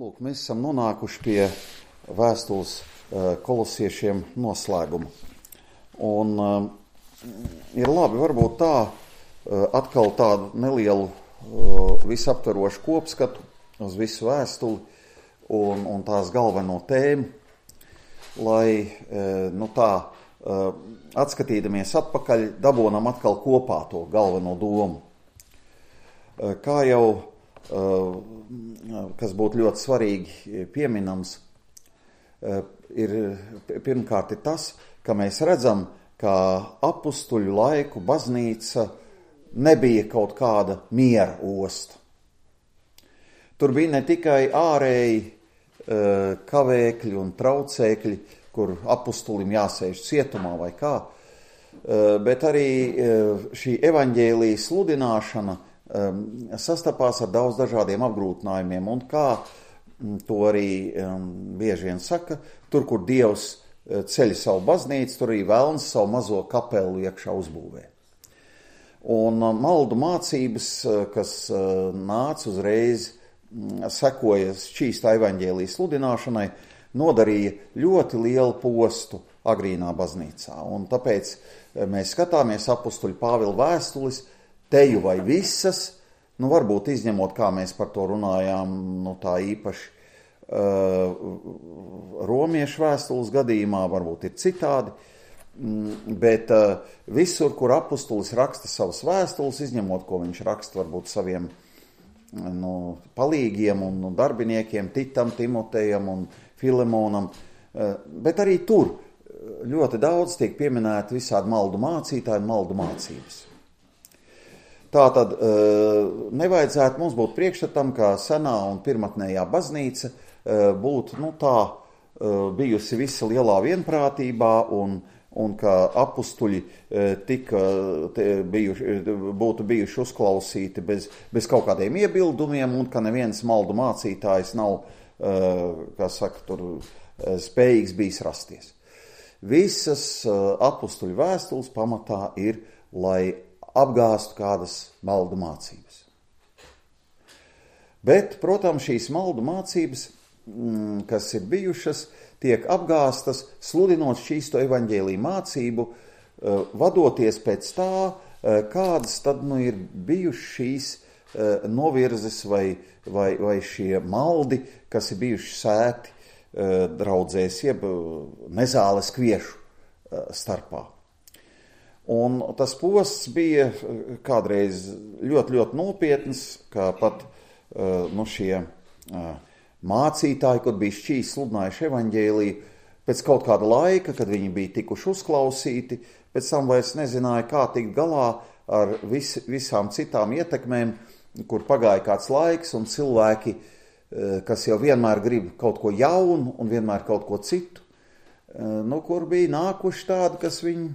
Lūk, mēs esam nonākuši pie vēstules kolosiešiem noslēguma. Un ir labi varbūt tā atkal tādu nelielu visaptverošu kopskatu uz visu vēstuli un tās galveno tēmu, lai atskatīdamies atpakaļ dabonam atkal kopā to galveno domu. Kā jau kas būtu ļoti svarīgi pieminams, ir pirmkārt ir tas, ka mēs redzam, ka apustuļu laiku baznīca nebija kaut kāda miera osta. Tur bija ne tikai ārēji kavēkļi un traucēkļi, kur apustulim jāsēž cietumā vai kā, bet arī šī evaņģēlija sludināšana sastapās ar daudz dažādiem apgrūtinājumiem, un kā to arī bieži vien saka, tur, kur Dievs ceļ savu baznīcu, tur arī velns savu mazo kapelu iekšā uzbūvē. Un maldu mācības, kas nāca uzreiz, sekoja šķīstā evaņģēlijas sludināšanai, nodarīja ļoti lielu postu agrīnā baznīcā. Un tāpēc mēs skatāmies apustuļu Pāvila vēstules, teju vai visas, varbūt izņemot, kā mēs par to runājām, tā īpaši romiešu vēstules gadījumā, varbūt ir citādi, bet visur, kur apustulis raksta savas vēstules, izņemot, ko viņš raksta varbūt saviem palīgiem un darbiniekiem, Titam, Timotejam un Filemonam, bet arī tur ļoti daudz tiek pieminēti visādi maldu mācītāji un maldu mācības. Tātad nevajadzētu mums būt priekšstatam, ka senā un pirmatnējā baznīca būtu bijusi visa lielā vienprātībā un ka apustuļi būtu bijuši uzklausīti bez kaut kādiem iebildumiem un ka neviens maldu mācītājs nav, spējīgs bijis rasties. Visas apustuļu vēstules pamatā ir, lai apgāstu kādas maldu mācības. Bet, protams, šīs maldu mācības, kas ir bijušas, tiek apgāstas, sludinot šīsto evaņģēliju mācību, vadoties pēc tā, kādas tad ir bijušas šīs novirzes vai šie maldi, kas ir bijuši sēti draudzēs, jeb nezāles kviešu starpā. Un tas posts bija kādreiz ļoti, ļoti nopietns, kā pat šie mācītāji, kur bija šķīs sludinājuši evaņģēliju, pēc kaut kāda laika, kad viņi bija tikuši uzklausīti, pēc tam vairs nezināja, kā tikt galā ar visām citām ietekmēm, kur pagāja kāds laiks, un cilvēki, kas jau vienmēr grib kaut ko jaunu un vienmēr kaut ko citu, kur bija nākuši tādi, kas viņu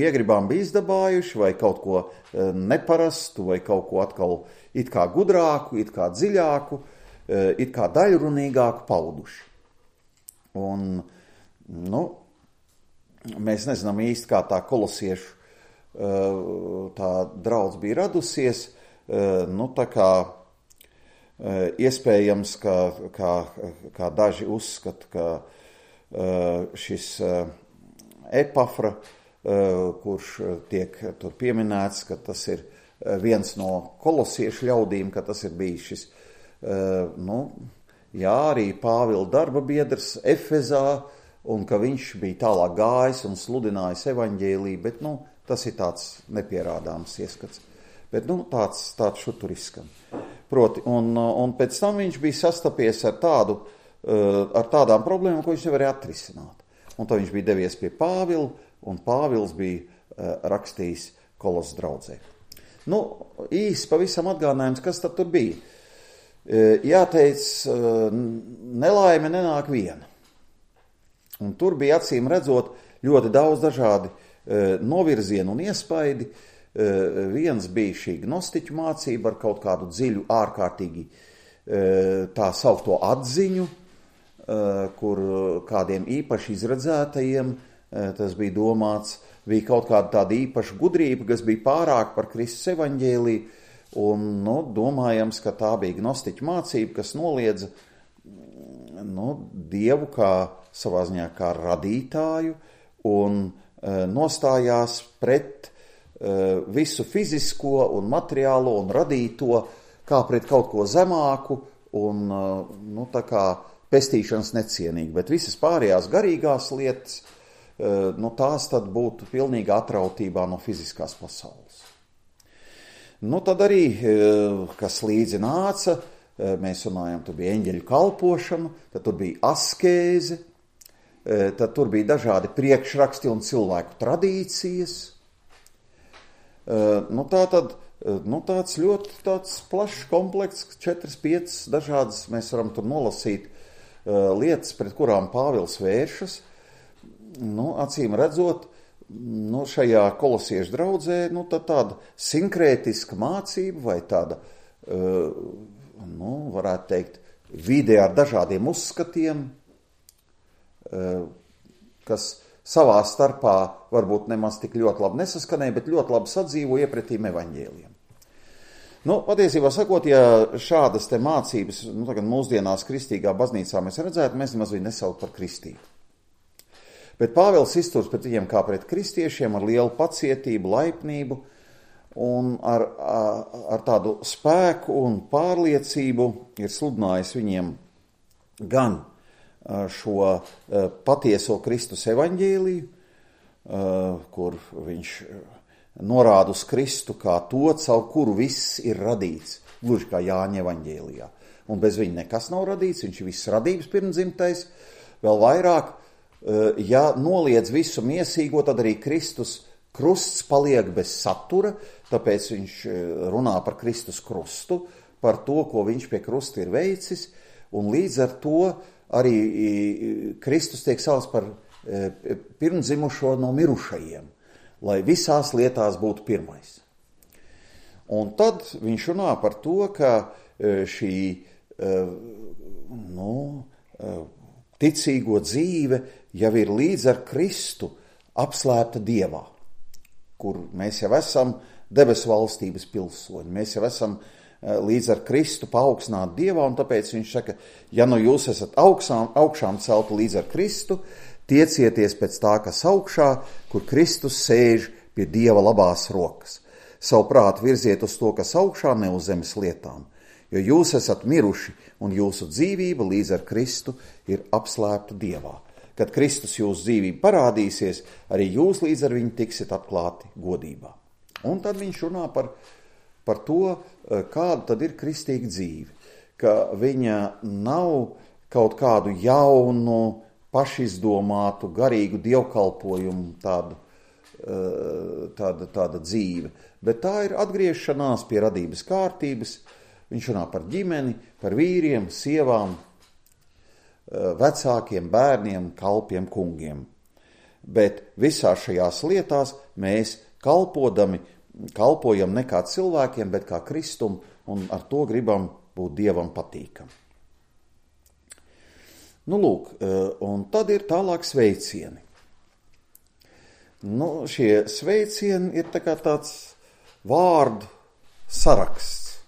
iegribām bija izdabājuši, vai kaut ko neparastu, vai kaut ko atkal it kā gudrāku, it kā dziļāku, it kā daļrunīgāku pauduši. Un, mēs nezinām īsti, kā tā kolosiešu tā draudz bija radusies, iespējams, kā daži uzskata, ka šis Epafra, kurš tiek tur pieminēts, ka tas ir viens no kolosiešu ļaudīm, ka tas ir bijis šis, arī Pāvila darba biedrs Efezā, un ka viņš bija tālāk gājis un sludinājis evaņģēliju, bet, tas ir tāds nepierādāms ieskats. Bet, tāds šutur izskan. Proti, un pēc tam viņš bija sastapies ar tādām problēmām, ko viņš nevarēja atrisināt. Un tad viņš bija devies pie Pāvila, un Pāvils bija rakstījis Kolos draudzē. Īsi pavisam atgādinājums, kas tad tur bija. Jāteic, nelaime nenāk viena. Un tur bija acīm redzot ļoti daudz dažādi novirzienu un iespaidi. Viens bija šī gnostiķu mācība ar kaut kādu dziļu, ārkārtīgi tā saukto atziņu, kur kādiem īpaši izredzētajiem tas bija domāts, bija kaut kāda tāda īpaša gudrība, kas bija pārāk par Kristus evaņģēliju, un domājams, ka tā bija gnostiķu mācība, kas noliedza Dievu kā savā ziņā kā radītāju un nostājās pret visu fizisko un materiālo un radīto kā pret kaut ko zemāku un tā kā pestīšanas necienīgi, bet visas pārējās garīgās lietas, tās tad būtu pilnīgi atrautībā no fiziskās pasaules. Tad arī, kas līdzi nāca, mēs runājam, tur bija eņģeļu kalpošana, tad tur bija askēze, tad tur bija dažādi priekšraksti un cilvēku tradīcijas. Tāds ļoti plašs komplekts, 4-5 dažādas, mēs varam tur nolasīt lietas, pret kurām Pāvils vēršas. Acīm redzot, šajā kolosiešu draudzē, tāda sinkrētiska mācība vai tāda, varētu teikt, vide ar dažādiem uzskatiem, kas savā starpā varbūt nemaz tik ļoti labi nesaskanēja, bet ļoti labi sadzīvo iepretīm evaņģēliem. Patiesībā sakot, ja šādas te mācības, tagad mūsdienās kristīgā baznīcā mēs redzētu, mēs nemaz viņu nesaukt par kristību. Bet Pāvils izturs pret viņiem kā pret kristiešiem ar lielu pacietību, laipnību un ar tādu spēku un pārliecību ir sludinājis viņiem gan šo patieso Kristus evaņģēliju, kur viņš norāda uz Kristu kā to, caur kuru viss ir radīts, gluži kā Jāņa evaņģēlijā. Un bez viņa nekas nav radīts, viņš ir viss radības pirmdzimtais, vēl vairāk, ja noliedz visu miesīgo, tad arī Kristus krusts paliek bez satura, tāpēc viņš runā par Kristus krustu, par to, ko viņš pie krusta ir veicis, un līdz ar to arī Kristus tiek saukts par pirmdzimušo no mirušajiem, lai visās lietās būtu pirmais. Un tad viņš runā par to, ka šī ticīgo dzīve jau ir līdz ar Kristu apslēpta Dievā, kur mēs jau esam debesu valstības pilsoņi, mēs jau esam līdz ar Kristu paaugstināti Dievā, un tāpēc viņš saka, ja jūs esat augšām celti līdz ar Kristu, tiecieties pēc tā, kas augšā, kur Kristus sēž pie Dieva labās rokas. Savu prātu virziet uz to, kas augšā, ne uz zemes lietām, jo jūs esat miruši, un jūsu dzīvība līdz ar Kristu ir apslēpta Dievā. Kad Kristus jūsu dzīvība parādīsies, arī jūs līdz ar viņu tiksiet atklāti godībā. Un tad viņš runā par to, kāda tad ir kristīga dzīve, ka viņa nav kaut kādu jaunu, pašizdomātu, garīgu dievkalpojumu tāda dzīve, bet tā ir atgriešanās pie radības kārtības. Viņš runā par ģimeni, par vīriem, sievām, vecākiem, bērniem, kalpiem, kungiem. Bet visās šajās lietās mēs kalpojam ne kā cilvēkiem, bet kā Kristum, un ar to gribam būt Dievam patīkam. Un tad ir tālāk sveicieni. Šie sveicieni ir tāds vārdu saraksts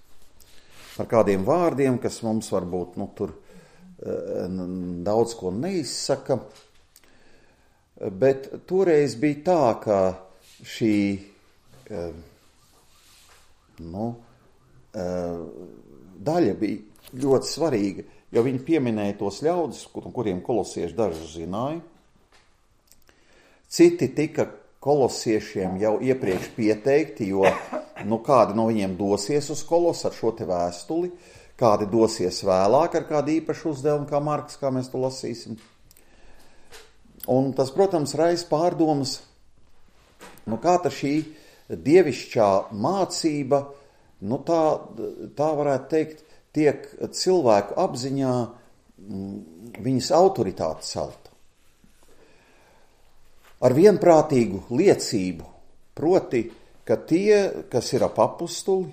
par kādiem vārdiem, kas mums varbūt tur daudz ko neizsaka, bet toreiz bija tā, ka šī daļa bija ļoti svarīga, jo viņi pieminēja tos ļaudis, kuriem kolosieši dažus zināja. Citi tika kolosiešiem jau iepriekš pieteikti, jo kādi no viņiem dosies uz Kolos ar šo te vēstuli, kādi dosies vēlāk ar kādu īpašu uzdevumu, kā Marks, kā mēs to lasīsim. Un tas, protams, raisa pārdomas, kā ta šī dievišķā mācība, tā varētu teikt, tiek cilvēku apziņā viņas autoritāte celta. Ar vienprātīgu liecību, proti, ka tie, kas ir ap apustuli,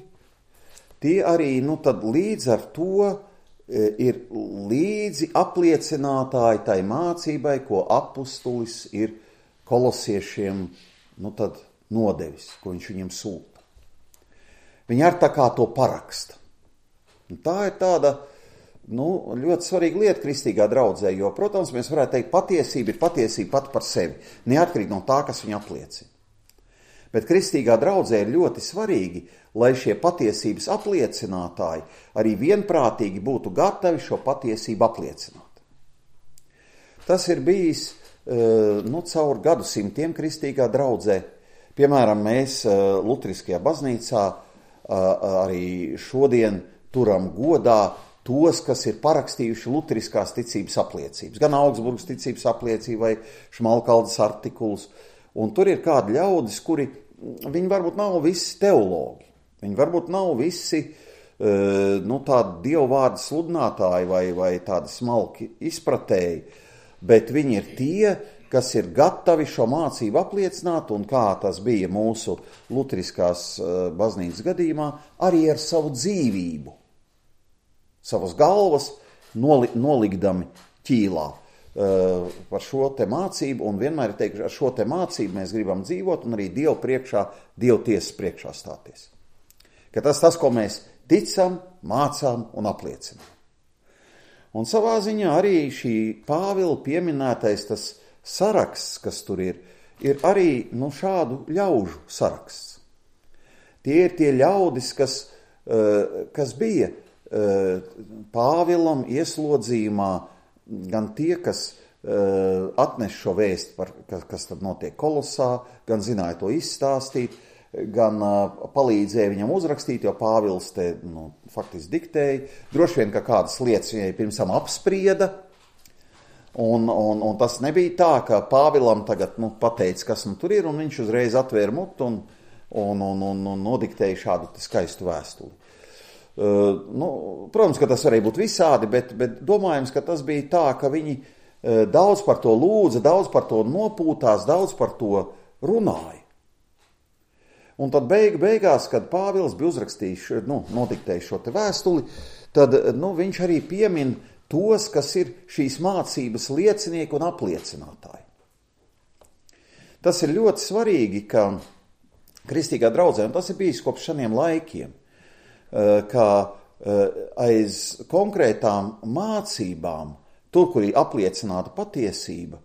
tie arī tad līdz ar to ir līdzi apliecinātāji tai mācībai, ko apustulis ir kolosiešiem tad nodevis, ko viņš viņiem sūta. Viņi ar tā kā to paraksta. Un tā ir tāda ļoti svarīga lieta kristīgā draudzē, jo, protams, mēs varētu teikt, patiesība ir patiesība pati par sevi, neatkarīgi no tā, kas viņu apliecina. Bet kristīgā draudzē ir ļoti svarīgi, lai šie patiesības apliecinātāji arī vienprātīgi būtu gatavi šo patiesību apliecināt. Tas ir bijis caur gadsimtiem kristīgā draudzē. Piemēram, mēs Lutriskajā baznīcā arī šodien turam godā tos, kas ir parakstījuši luteriskās ticības apliecības, gan Augsburgas ticības apliecību vai Šmalkaldes artikulus. Un tur ir kādi ļaudis, kuri, viņi varbūt nav visi teologi, viņi varbūt nav visi tādi dievvvārdu sludinātāji vai tādi smalki izpratēji, bet viņi ir tie, kas ir gatavi šo mācību apliecināt, un kā tas bija mūsu luteriskās baznīcas gadījumā, arī ar savu dzīvību, savas galvas nolikdami ķīlā par šo te mācību, un vienmēr ir teikuši, ar šo te mācību mēs gribam dzīvot un arī Dievu priekšā, Dievu tiesas priekšā stāties. Ka tas, ko mēs ticam, mācām un apliecinām. Un savā ziņā arī šī Pāvila pieminētais tas saraksts, kas tur ir arī šādu ļaužu saraksts. Tie ir tie ļaudis, kas bija Pāvilam ieslodzījumā, gan tie, kas atnes šo vēstu, kas tad notiek Kolosā, gan zināja to izstāstīt, gan palīdzēja viņam uzrakstīt, jo Pāvils te faktiski diktēja. Droši vien, ka kādas lietas viņai pirms tam apsprieda, un tas nebija tā, ka Pāvilam tagad pateica, kas tur ir, un viņš uzreiz atvēra mutu un nodiktēja šādu skaistu vēstuli. Protams, ka tas varēja būt visādi, bet domājams, ka tas bija tā, ka viņi daudz par to lūdza, daudz par to nopūtās, daudz par to runāja. Un tad beigās, kad Pāvils bija uzrakstījis, nodiktējis šo te vēstuli, tad viņš arī piemin tos, kas ir šīs mācības liecinieki un apliecinātāji. Tas ir ļoti svarīgi, ka kristīgā draudzē, un tas ir bijis kopš šiem laikiem, ka aiz konkrētām mācībām, tur, kur ir apliecināta patiesība,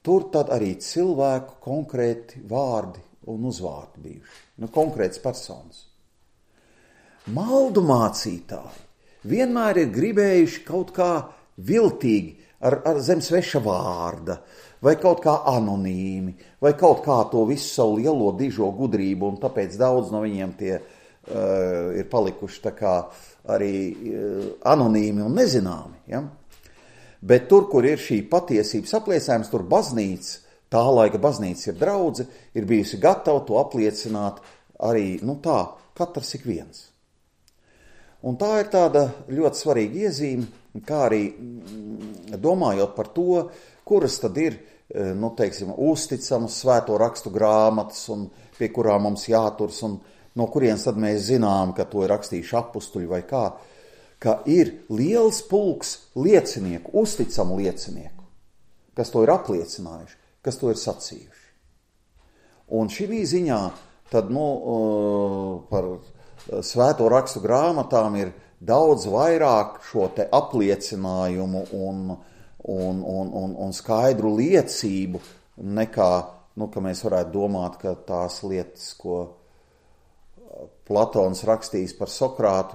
tur tad arī cilvēku konkrēti vārdi un uzvārdi bijuši, konkrēts personas. Maldu mācītāji vienmēr ir gribējuši kaut kā viltīgi ar zem sveša vārda, vai kaut kā anonīmi, vai kaut kā to visu savu lielo dižo gudrību, un tāpēc daudz no viņiem tie ir palikuši tā kā arī anonīmi un nezināmi. Ja? Bet tur, kur ir šī patiesības apliecinājums, tur baznīca, tā laika baznīca ir draudze, ir bijusi gatava to apliecināt arī, katrs ik viens. Un tā ir tāda ļoti svarīga iezīme, kā arī domājot par to, kuras tad ir, uzticamas svēto rakstu grāmatas, un pie kurām mums jāturs, un no kurienes tad mēs zinām, ka to ir rakstījuši apustuļi vai kā, ka ir liels pulks liecinieku, uzticamu liecinieku, kas to ir apliecinājuši, kas to ir sacījuši. Un šī ziņā tad, par svēto rakstu grāmatām ir daudz vairāk šo te apliecinājumu un skaidru liecību nekā, ka mēs varētu domāt, ka tās lietas, ko Platons rakstījis par Sokrātu,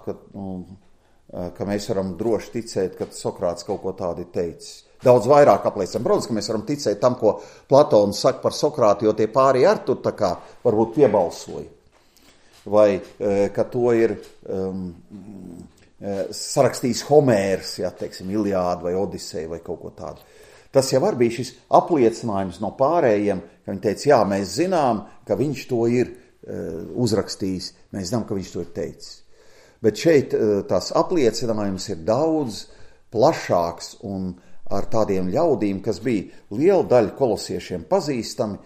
ka mēs varam droši ticēt, ka Sokrāts kaut ko tādu ir teicis. Daudz vairāk apliecinām. Protams, ka mēs varam ticēt tam, ko Platons saka par Sokrātu, jo tie pārējie ar tur tā kā varbūt piebalsoja. Vai ka to ir sarakstījis Homērs, Iliādu vai Odiseju vai kaut ko tādu. Tas jau arī bija šis apliecinājums no pārējiem, ka viņi teica, jā, mēs zinām, ka viņš to ir uzrakstījis, mēs zinām, ka viņš to ir teicis. Bet šeit tās apliecinājums ir daudz plašāks un ar tādiem ļaudīm, kas bija liela daļa kolosiešiem pazīstami,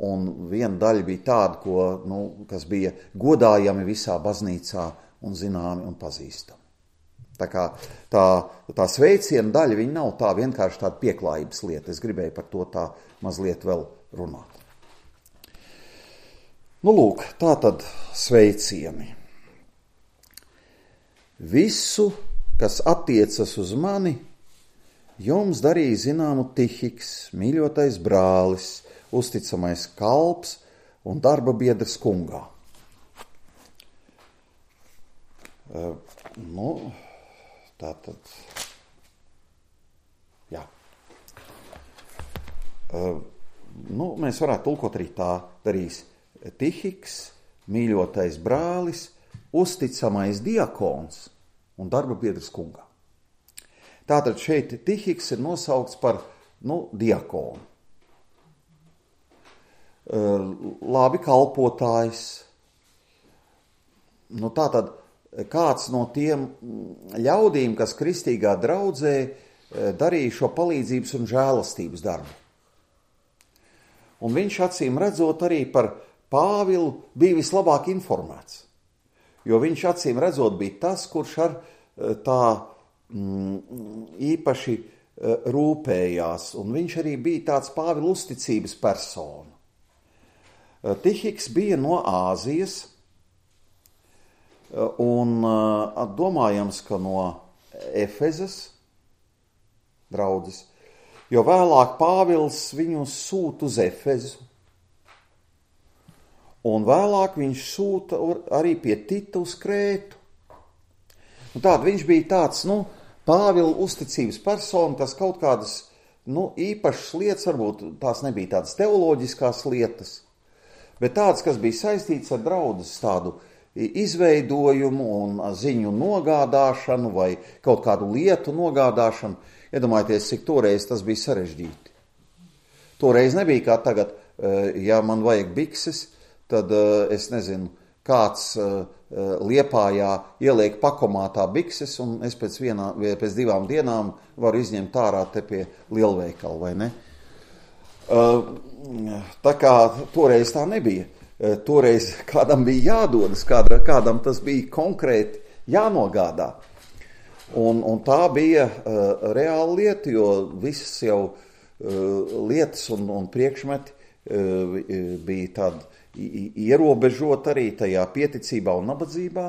un viena daļa bija tāda, kas bija godājami visā baznīcā un zināmi un pazīstami. Tā kā tā sveiciena daļa, viņa nav tā vienkārši tāda pieklājības lieta. Es gribēju par to tā mazliet vēl runāt. Nu, lūk, tā tad sveicieni. Visu, kas attiecas uz mani, jums darīja zināmu Tihiks, mīļotais brālis, uzticamais kalps un darba biedrs kungā. Tā tad, jā. Mēs varētu tulkot arī tā darīs Tihiks, mīļotais brālis, uzticamais diakons un darba biedrs kungā. Tātad šeit Tihiks ir nosaukts par, diakonu. Labi kalpotājs. Tātad kāds no tiem ļaudīm, kas kristīgā draudzē darīja šo palīdzības un žēlastības darbu. Un viņš acīm redzot arī par Pāvilu bija vislabāk informēts, jo viņš acīm redzot bija tas, kurš ar tā īpaši rūpējās, un viņš arī bija tāds Pāvila uzticības persona. Tihiks bija no Āzijas, un domājams, ka no Efezas draudzes, jo vēlāk Pāvils viņu sūta uz Efezu, un vēlāk viņš sūta arī pie Tita uz Krētu. Tātad viņš bija tāds, Pāvila uzticības persona, kas kaut kādas, īpašas lietas, varbūt tās nebija tādas teoloģiskās lietas, bet tādas, kas bija saistīts ar draudzes tādu izveidojumu un ziņu nogādāšanu vai kaut kādu lietu nogādāšanu. Iedomājieties, cik toreiz tas bija sarežģīti. Toreiz nebija kā tagad, ja man vajag bikses, tad es nezinu, kāds Liepājā ieliek pakomātā bikses, un es pēc 2 dienām varu izņemt ārā te pie lielveikala, vai ne? Tā kā toreiz tā nebija. Toreiz kādam bija jādodas, kādam tas bija konkrēti jānogādā. Un tā bija reāla lieta, jo visas jau lietas un priekšmeti bija tādi ierobežot arī tajā pieticībā un nabadzībā.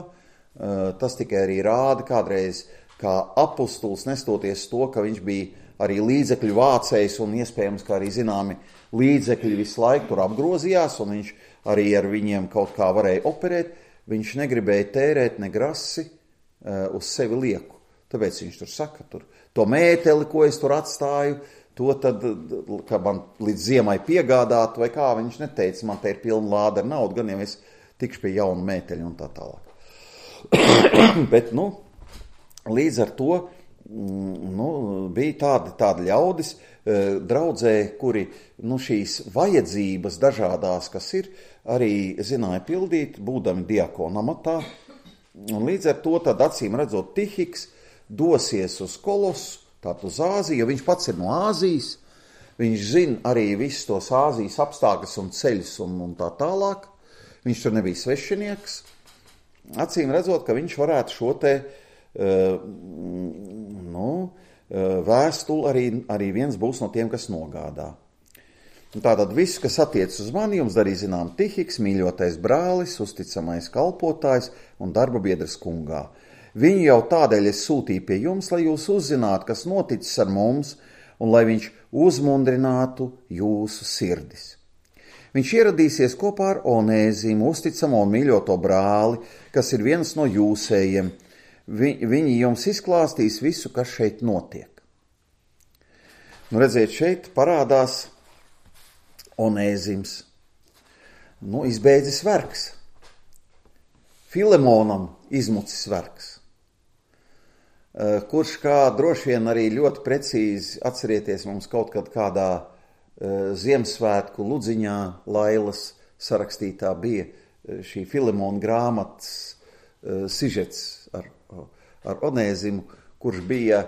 Tas tikai arī rāda kādreiz, kā apustulis, nestoties to, ka viņš bija arī līdzekļu vācējs un iespējams, ka arī zināmi līdzekļi visu laiku tur apgrozījās un viņš arī ar viņiem kaut kā varēja operēt, viņš negribēja tērēt ne grasi uz sevi lieku. Tāpēc viņš tur saka, to mēteli, ko es tur atstāju, to tad, ka man līdz ziemai piegādāt, vai kā viņš neteica, man te ir pilna lāde ar naudu, gan jau es tikšu pie jauna mēteļa un tā tālāk. Bet, līdz ar to, bija tādi ļaudis draudzē, kuri, šīs vajadzības dažādās, kas ir, arī zināja pildīt, būdami diakona amatā. Un līdz ar to tad acīm redzot Tihiks dosies uz Kolosu, tātad uz Āziju, jo viņš pats ir no Āzijas, viņš zina arī visus tos Āzijas apstākļus un ceļus un tā tālāk, viņš tur nebija svešinieks, acīm redzot, ka viņš varētu šo te vēstuli arī viens būs no tiem, kas nogādā. Tātad viss, kas attiec uz mani, jums darīja zinām Tihiks, mīļotais brālis, uzticamais kalpotājs un darba biedrs kungā. Viņu jau tādēļ es sūtīju pie jums, lai jūs uzzinātu, kas noticis ar mums, un lai viņš uzmundrinātu jūsu sirdis. Viņš ieradīsies kopā ar Onēzimu, uzticamo un mīļoto brāli, kas ir viens no jūsējiem. Viņi jums izklāstīs visu, kas šeit notiek. Redziet, šeit parādās Onēzims. Izbeidzis vergs. Filemonam izmucis vergs. Kurš kā droši vien arī ļoti precīzi atcerieties mums kaut kad kādā Ziemassvētku ludziņā Lailas sarakstītā bija šī Filemona grāmatas sižets ar Onēzimu, kurš bija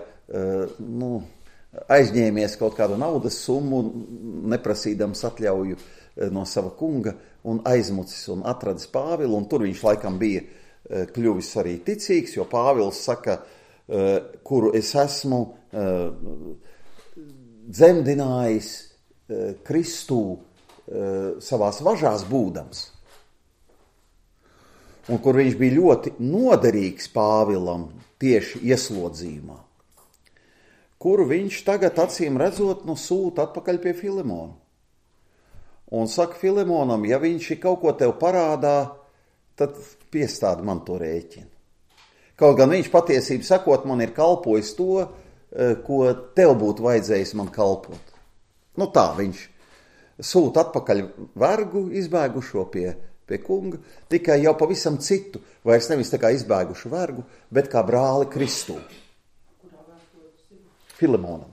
aizņēmies kaut kādu naudas summu, neprasīdams atļauju no sava kunga un aizmucis un atradis Pāvilu, un tur viņš laikam bija kļuvis arī ticīgs, jo Pāvils saka, kuru es esmu dzemdinājis Kristū savās važās būdams. un kur viņš bija ļoti noderīgs Pāvilam tieši ieslodzījumā, kuru viņš tagad acīm redzot sūta atpakaļ pie Filemona. Un saka Filemonam, ja viņš ir kaut ko tev parādā, tad piestādi man to rēķinu. Kaut gan viņš patiesību sakot man ir kalpojis to, ko tev būtu vajadzējis man kalpot. Tā viņš sūta atpakaļ vergu izbēgušo pie kunga, tikai jau pavisam citu, vairs nevis tā kā izbēgušu vergu, bet kā brāli Kristū. Filemonam,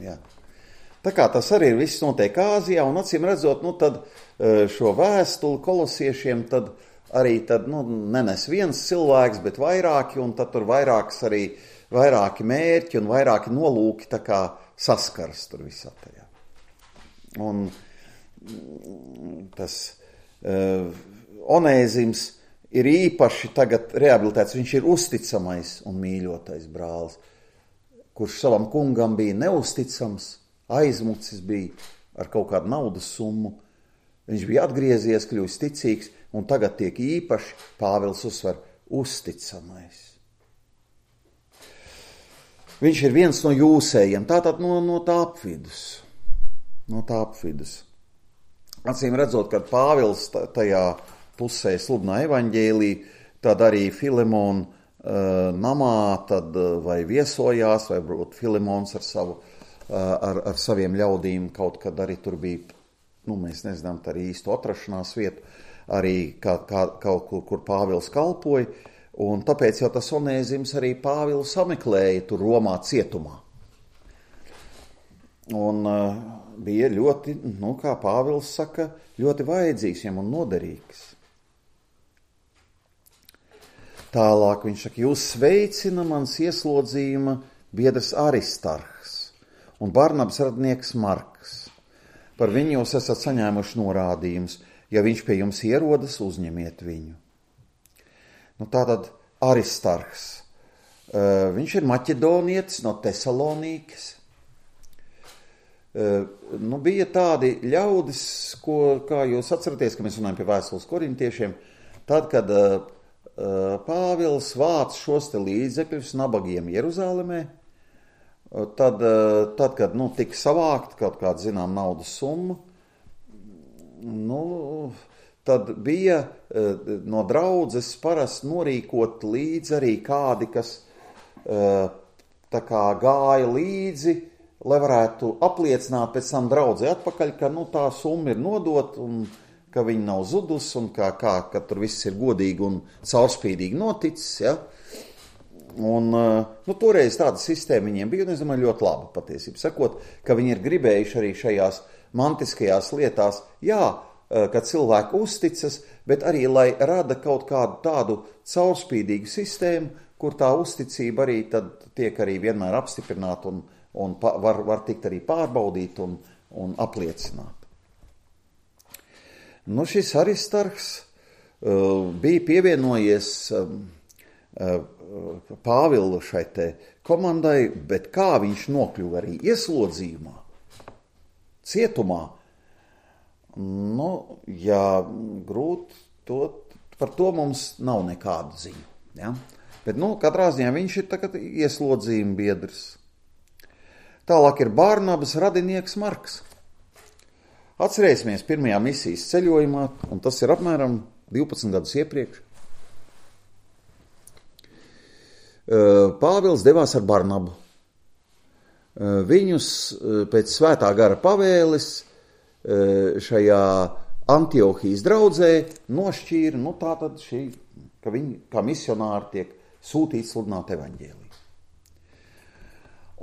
jā. Tā kā tas arī viss notiek Āzijā, un acīm redzot, tad šo vēstuli kolosiešiem tad arī nenes viens cilvēks, bet vairāki, un tad tur vairāki mērķi un vairāki nolūki tā kā saskaras tur visā tajā. Un tas Onēzims ir īpaši tagad rehabilitēts, viņš ir uzticamais un mīļotais brālis, kurš savam kungam bija neusticams, aizmucis bija ar kaut kādu naudas summu. Viņš bija atgriezies, kļūst ticīgs, un tagad tiek īpaši Pāvils uzsver uzticamais. Viņš ir viens no jūsējiem, tātad no tā apvidus. No tā apvidus. Acīm redzot, kad Pāvils tajā pusē sludina evaņģēliju, tad arī Filemona namā tad vai viesojās, vai varbūt Filemons ar saviem ļaudīm kaut kad arī tur bija, mēs nezinām, tā arī īstu atrašanās vietu, arī kaut kur Pāvils kalpoja, un tāpēc jau tas Onēzims arī Pāvilu sameklēja tur Romā cietumā. Un bija ļoti, kā Pāvils saka, ļoti vajadzīgs viņam un noderīgs. Tālāk viņš saka, jūs sveicina mans ieslodzījuma biedrs Aristarhs un Barnabas radinieks Marks. Par viņu jūs esat saņēmuši norādījumus. Ja viņš pie jums ierodas, uzņemiet viņu. Tātad Aristarhs. Viņš ir maķedonietis no Tesalonīkas. Bija tādi ļaudis, kā jūs atceraties, ka mēs runājam pie vēstules korintiešiem, tad, kad Pāvils vāc šos te līdzekļus nabagiem Jeruzālemē, tad kad tika savākt kaut kāda, zinām, naudas summa, tad bija no draudzes parasti norīkot līdzi arī kādi, kas tā kā gāja līdzi, lai varētu apliecināt pēc tam draudzē atpakaļ, ka tā summa ir nodot un ka viņi nav zudus un ka tur viss ir godīgi un caurspīdīgi noticis, ja. Un toreiz tāda sistēma viņiem bija, un es domāju, ļoti laba patiesība sakot, ka viņi ir gribējuši arī šajās mantiskajās lietās, ka cilvēki uzticas, bet arī, lai rada kaut kādu tādu caurspīdīgu sistēmu, kur tā uzticība arī tad tiek arī vienmēr apstiprināta un var tikt arī pārbaudīt un apliecināt. Šis Aristarhs bija pievienojies Pāvila šai te komandai, bet kā viņš nokļuva arī ieslodzījumā, cietumā, grūti par to mums nav nekādu ziņu. Ja? Bet, katrā ziņā viņš ir tagad ieslodzījuma biedrs. Tālāk ir Barnabas radinieks Marks. Atcerēsimies pirmajā misijas ceļojumā, un tas ir apmēram 12 gadus iepriekš. Pāvils devās ar Barnabu. Viņus pēc svētā gara pavēles šajā Antiohijas draudzē nošķīra, tātad ka viņi kā misionāri tiek sūtīti sludināt evaņģēliju.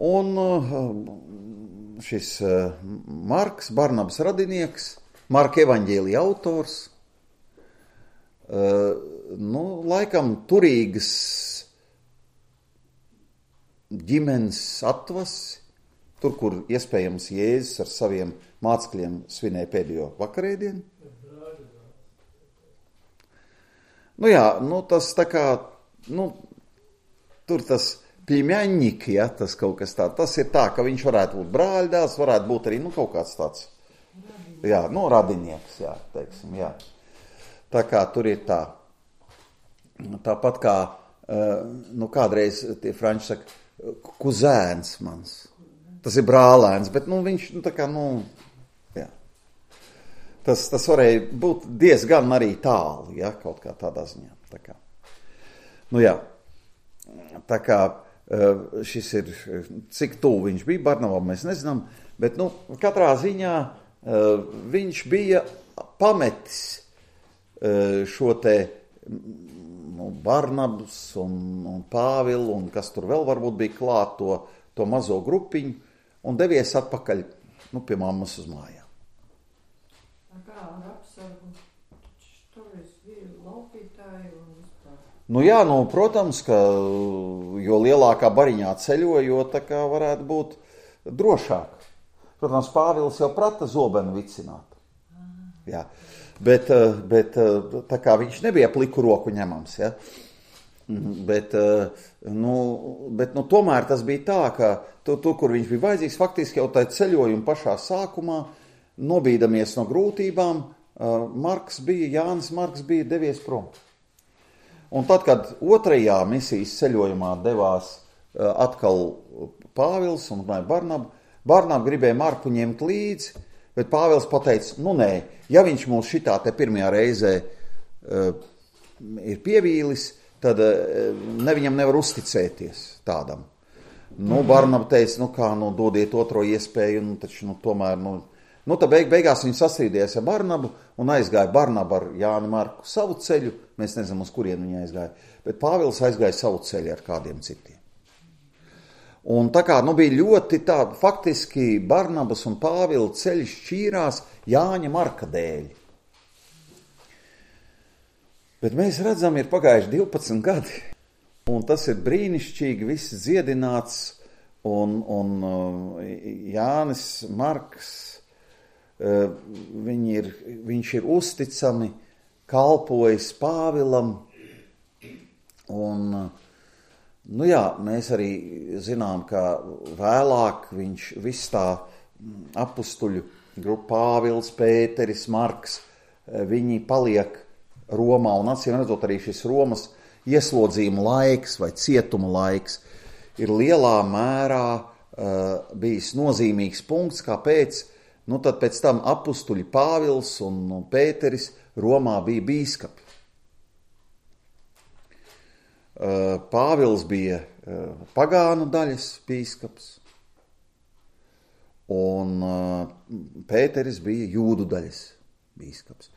Un šis Marks, Barnabas radinieks, Marka evaņģēlija autors, laikam turīgas ģimenes atvasi, tur, kur iespējams Jēzus ar saviem mācekļiem svinēja pēdējo vakarēdienu. Tas tā kā, tur tas pļiņaņņiki, tas kaut kas tāds, tas ir tā, ka viņš varētu būt brāļdēls, varētu būt arī, kaut kāds tāds, radinieks, teiksim, Tā kā tur ir tā. Tāpat kā, kādreiz tie franči saka, kuzēns mans. Tas ir brālēns, bet, viņš, tā kā, jā. Tas varēja būt diezgan arī tālu, ja, kaut kā tādā ziņā. Tā kā. Jā. Tā kā šis ir, cik tuvu viņš bija Barnabam, mēs nezinām, bet, katrā ziņā viņš bija pametis šo te Barnabas un Pāvilu un kas tur vēl varbūt bija klāt to mazo grupiņu un devies atpakaļ pie mammas uz mājām. Kā ar apsargu? Tur bija laupītāji un jā, protams, ka jo lielākā bariņā ceļo, jo tā kā varētu būt drošāk. Protams, Pāvils jau prata zobenu vicināt. Jā. Bet tā kā viņš nebija pliku roku ņemams, ja? Bet tomēr tas bija tā, ka tur, kur viņš bija vajadzīgs, faktiski jau tā ceļojuma pašā sākumā, nobīdamies no grūtībām, Jānis Marks bija devies prom. Un tad, kad otrajā misijas ceļojumā devās atkal Pāvils un Barnaba gribēja Marku ņemt līdzi, bet Pāvils pateica, nē, ja viņš mūs šitā te pirmajā reizē ir pievīlis, tad viņam nevar uzticēties tādam. Barnaba teica, dodiet otro iespēju, taču tomēr, tad beigās viņi sastrīdījās ar Barnabu un aizgāja Barnaba ar Jāni Marku savu ceļu, mēs nezinām, uz kurien viņi aizgāja, bet Pāvils aizgāja savu ceļu ar kādiem citiem. Un tā kā, bija ļoti tā, faktiski Barnabas un Pāvila ceļš šķīrās Jāņa Marka dēļ. Bet mēs redzam, ir pagājuši 12 gadi, un tas ir brīnišķīgi, viss dziedināts, un Jānis Marks, viņš ir uzticami kalpojis Pāvilam, un mēs arī zinām, ka vēlāk viņš viss tā apustuļu grupa Pāvils, Pēteris, Marks, viņi paliek Romā, un acīm redzot arī šis Romas ieslodzījuma laiks vai cietuma laiks ir lielā mērā bijis nozīmīgs punkts, kāpēc, tad pēc tam apustuļi Pāvils un Pēteris Romā bija bīskapi. Pāvils bija pagānu daļas bīskaps, un Pēteris bija jūdu daļas bīskaps.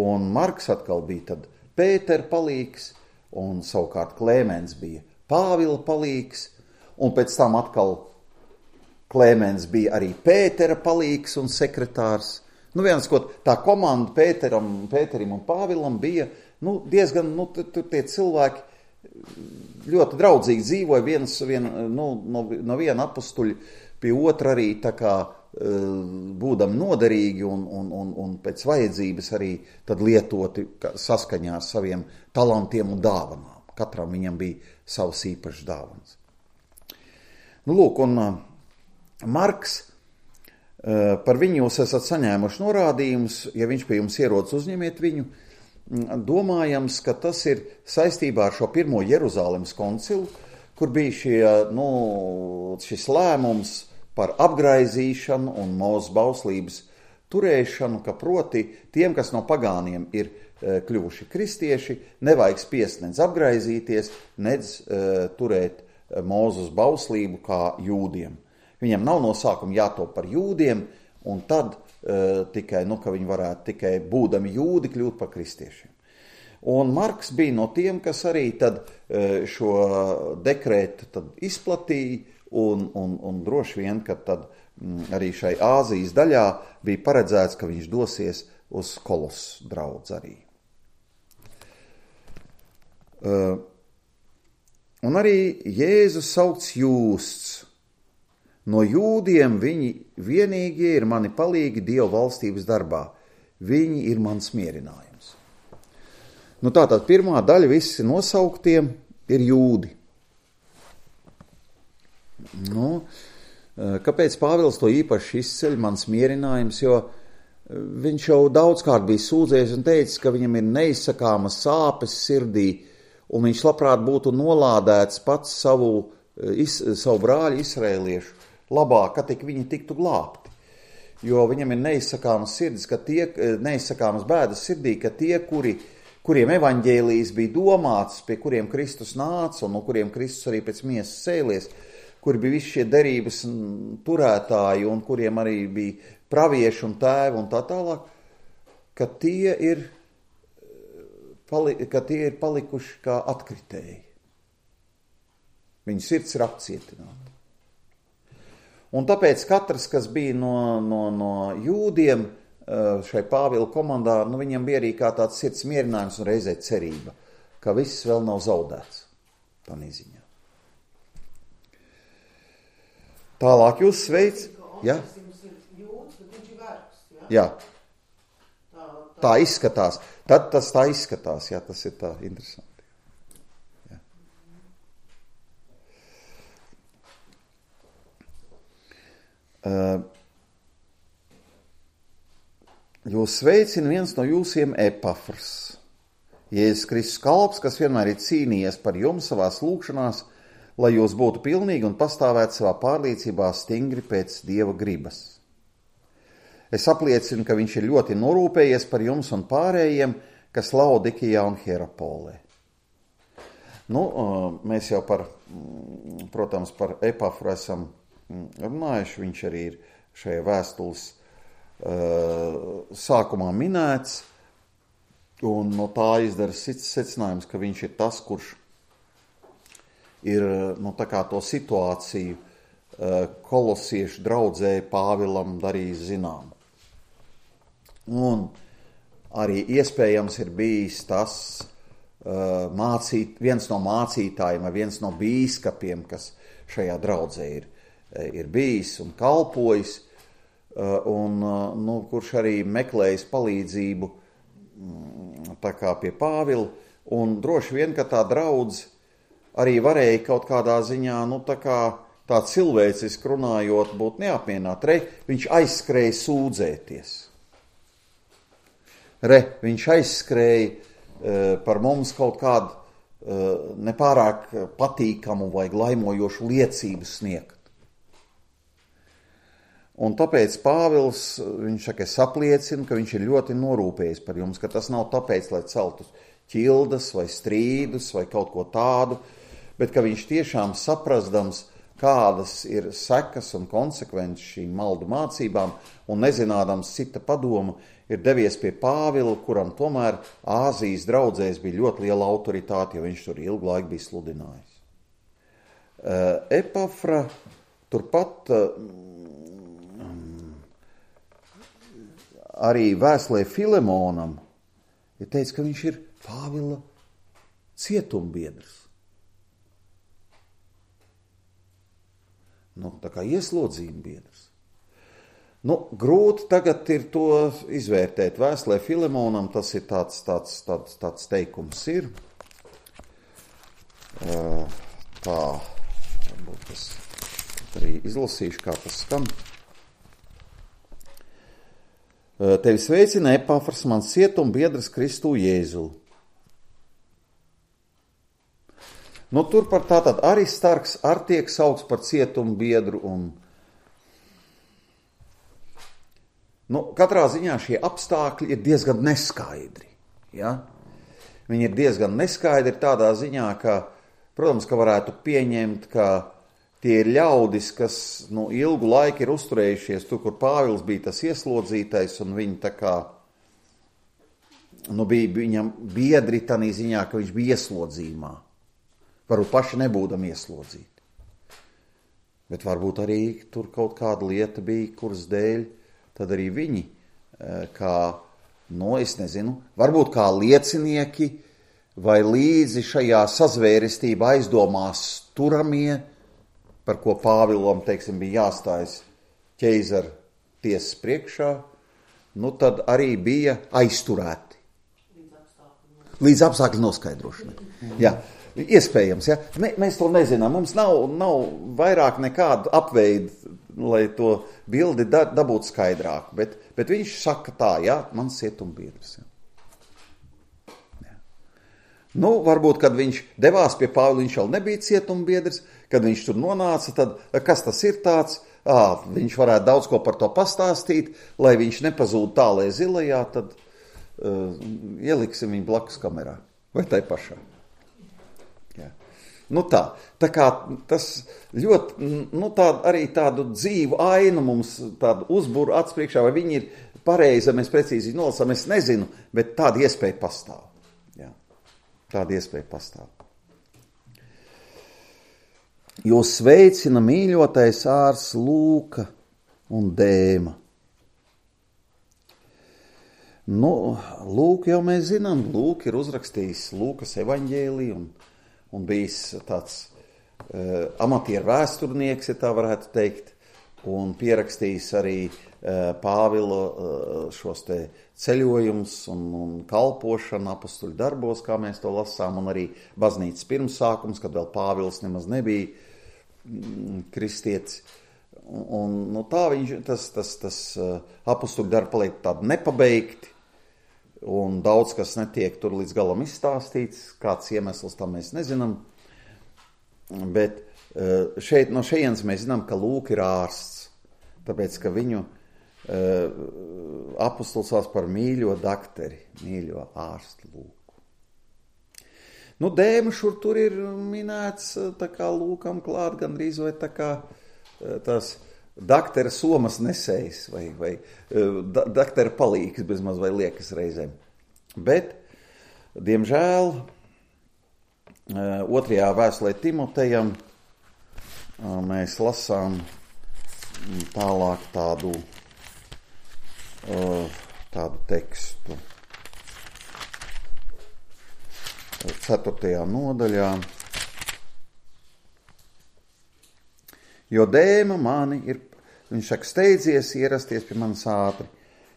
Un Marks atkal bija tad Pētera palīgs, un savukārt Klēmens bija Pāvila palīgs, un pēc tam atkal Klēmens bija arī Pētera palīgs un sekretārs. Tā komanda Pēterim un Pāvilam bija diezgan, tur tie cilvēki ļoti draudzīgi dzīvoja no viena apustuļa pie otra arī tā kā būdami noderīgi un pēc vajadzības arī tad lietoti saskaņā ar saviem talantiem un dāvanām. Katram viņam bija savs īpašs dāvans. Un Marks, par viņu jūs esat saņēmuši norādījumus, ja viņš pie jums ierodas, uzņemiet viņu. Domājams, ka tas ir saistībā ar šo pirmo Jeruzālemes koncilu, kur bija šis lēmums par apgraizīšanu un Mūzes bauslības turēšanu, ka proti tiem, kas no pagāniem ir kļuvuši kristieši, nevajag spiest nedz apgraizīties, nedz turēt Mūzes bauslību kā jūdiem. Viņam nav no sākuma jātop par jūdiem, un tad tikai, ka viņi varētu tikai būdami jūdi kļūt par kristiešiem. Un Marks bija no tiem, kas arī tad šo dekrētu tad izplatīja, un droši vien, ka tad arī šai Āzijas daļā bija paredzēts, ka viņš dosies uz Kolosu draudzi arī. Un arī Jēzus saukts jūsts. No jūdiem viņi vienīgie ir mani palīgi Dieva valstības darbā. Viņi ir mans mierinājums. Tātad pirmā daļa visi nosauktiem ir jūdi. Kāpēc Pāvils to īpaši izceļ, mans mierinājums? Jo viņš jau daudzkārt bija sūdzējies un teicis, ka viņam ir neizsakāmas sāpes sirdī, un viņš labprāt būtu nolādēts pats savu brāļu Izraēliešu labāk, ka tik viņi tiktu glābti. Jo viņam ir neizsakāmas sirdis, neizsakāmas bēdas sirdī, ka tie, kuriem evaņģēlijs bija domāts, pie kuriem Kristus nāca un no kuriem Kristus arī pēc miesas cēlies, kuri bija visi šie derības turētāji un kuriem arī bija pravieši un tēvi un tā tālāk, ka tie ir palikuši kā atkritēji. Viņu sirds ir apcietināta. Un tāpēc katrs, kas bija no jūdiem šai Pāvila komandā, viņam bija arī kā tāds sirds mierinājums un reizē cerība, ka viss vēl nav zaudēts. Tā neziņā. Tālāk jūs sveic. Ja? Jā. Tā izskatās. Tad tas tā izskatās. Jā, tas ir tā interesanti. Jūs sveicina viens no jūsiem Epafrs, Jēzus Kristus kalps, kas vienmēr ir cīnījies par jums savās lūgšanās, lai jūs būtu pilnīgi un pastāvētu savā pārliecībā stingri pēc Dieva gribas. Es apliecinu, ka viņš ir ļoti norūpējies par jums un pārējiem, kas Laodikijā un Hierapolē. Mēs jau protams, par Epafru esam runājuši, viņš arī ir šajā vēstules sākumā minēts, un no tā izdara secinājums, ka viņš ir tas, kurš ir tā kā to situāciju kolosiešu draudzē Pāvilam darījis zinām. Un arī iespējams ir bijis tas viens no mācītājiem vai viens no bīskapiem, kas šajā draudzē ir bijis un kalpojis, un kurš arī meklējis palīdzību tā kā pie Pāvila, un droši vien, ka tā draudze arī varēja kaut kādā ziņā, tā cilvēciski runājot, būt neapmierināta. Viņš aizskrēja sūdzēties. Viņš aizskrēja par mums kaut kādu nepārāk patīkamu vai glaimojošu liecību sniegt. Un tāpēc Pāvils, viņš saka, es apliecinu, ka viņš ir ļoti norūpējis par jums, ka tas nav tāpēc, lai celtu ķildas vai strīdus vai kaut ko tādu, bet ka viņš tiešām saprastams, kādas ir sekas un konsekvences šīm maldu mācībām un nezinādams cita padomu, ir devies pie Pāvila, kuram tomēr Āzijas draudzēs bija ļoti liela autoritāte, jo viņš tur ilgu laiku bija sludinājis. Epafra turpat arī vēstulē Filemonam ir teicis, ka viņš ir Pāvila cietumbiedrs. Tā kā ieslodzījuma biedrs. Grūti tagad ir to izvērtēt. Vēstulē Filemonam tas ir tāds teikums ir. Tā, varbūt es arī izlasīšu, kā tas skan. Tevi sveicina Epafrs, mans cietumbiedrs Kristū Jēzu. Tur par tātad Aristarks ar tiek saukts par cietumbiedru un katrā ziņā šie apstākļi ir diezgan neskaidri. Ja? Viņi ir diezgan neskaidri tādā ziņā, ka, protams, ka varētu pieņemt, ka tie ir ļaudis, kas ilgu laiku ir uzturējušies tur, kur Pāvils bija tas ieslodzītais, un viņi tā kā bija viņam biedri tādā ziņā, ka viņš bija ieslodzījumā. Varbūt paši nebūdam ieslodzīti. Bet varbūt arī tur kaut kāda lieta bija, kuras dēļ tad arī viņi, es nezinu, varbūt kā liecinieki vai līdzi šajā sazvērestībā aizdomās turamie, par ko Pāvilam, bija jāstājas ķeizara tiesas priekšā, tad arī bija aizturēti. Līdz apstākļu noskaidrošanai. Jā. Iespējams, ja? Mēs to nezinām. Mums nav vairāk nekādu apveidu lai to bildi dabūtu skaidrāku. Bet viņš saka tā, jā, mans cietumbiedrs. Jā. Nu, varbūt, kad viņš devās pie Pāvila, viņš vēl nebija cietumbiedrs, kad viņš tur nonāca, tad kas tas ir tāds? Viņš varētu daudz ko par to pastāstīt, lai viņš nepazūd tālē zilajā, tad ieliksim viņu blakus kamerā. Vai tai pašā? Jā. Nu tā kā tas ļoti, arī tādu dzīvu ainu mums tādu uzburu atspriekšā, vai viņi ir pareizi, mēs precīzi nolasām, es nezinu, bet tāda iespēja pastāv. Jā. Tāda iespēja pastāv. Jo sveicina mīļotais ārs Lūka un Dēma. Nu, Lūku jau mēs zinām, Lūka ir uzrakstījis Lūkas evaņģēliju un bijis tāds amatieru vēsturnieks, ja tā varētu teikt, un pierakstījis arī Pāvila šos te ceļojumus un kalpošanu apostuļu darbos, kā mēs to lasām, un arī baznīcas pirmsākums, kad vēl Pāvils nemaz nebija kristietis. Un tā tas apostuļu darbi paliek tādi nepabeigti, un daudz kas netiek tur līdz galam izstāstīts, kāds iemesls tam mēs nezinām. Bet šeit no šejienes mēs zinām, ka Lūka ir ārsts, tāpēc, ka viņu apostols sauc par mīļo dakteri, mīļo ārstu Lūku. Nu, Dēma šur tur ir minēts tā kā Lūkam klāt, gandrīz vai tā kā tās daktera somas nesējs vai daktera palīgs bezmaz vai liekas reizēm. Bet, diemžēl, otrajā vēstulē Timotejam mēs lasām tālāk tādu tekstu. 4. nodaļā. Jo Dēma mani ir, viņš saka, steidzies ierasties pie manis ātri,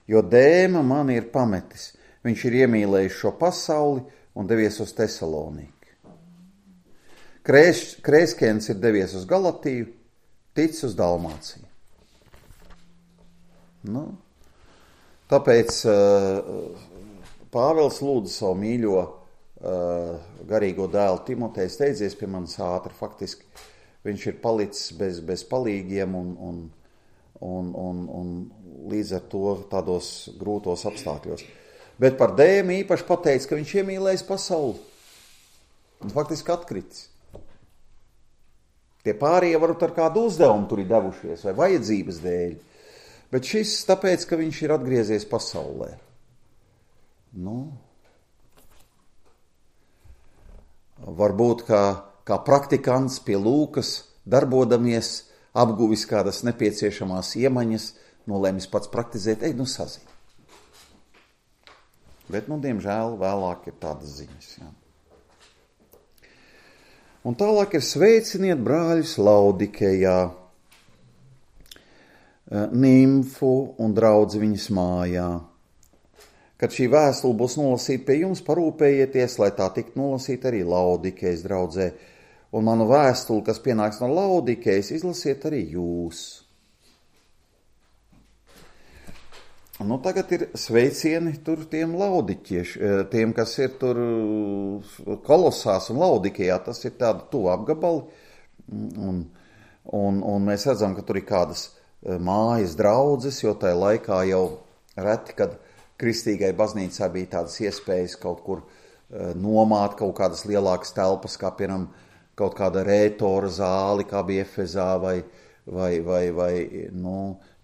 jo Dēma mani ir pametis. Viņš ir iemīlējis šo pasauli un devies uz Tesaloniku. Krēskens ir devies uz Galatiju, tic uz Dalmāciju. Nu, tāpēc Pāvils lūdza savu mīļo garīgo dēlu Timoteju, steidzies pie manis ātri. Faktiski viņš ir palicis bez palīgiem un līdz ar to tādos grūtos apstākļos. Bet par Dēmu īpaši pateica, ka viņš iemīlējis pasauli. Un faktiski atkritis. Tie pārējie varbūt ar kādu uzdevumu tur ir devušies vai vajadzības dēļ. Bet šis tāpēc, ka viņš ir atgriezies pasaulē. Nu, varbūt kā praktikants pie Lūkas darbodamies, apguvis kādas nepieciešamās iemaņas, nolēmis pats praktizēt, sazin. Bet, diemžēl, vēlāk ir tādas ziņas. Jā. Un tālāk ir sveiciniet brāļus Laudikejā, Nimfu un draudzi viņas mājā. Kad šī vēstule būs nolasīta pie jums, parūpējieties, lai tā tiktu nolasīta arī Laudikejas draudzē. Un manu vēstuli, kas pienāks no Laudikejas, izlasiet arī jūs. Nu, tagad ir sveicieni tur tiem laudiķieši, tiem, kas ir tur Kolosās un Laudikejā, tas ir tādi tuvu apgabali, un mēs redzam, ka tur ir kādas mājas draudzes, jo tajā laikā jau reti, kad kristīgai baznīcā bija tādas iespējas kaut kur nomāt kaut kādas lielākas telpas, kā piemēram kaut kāda rētora zāli, kā bija Efezā, vai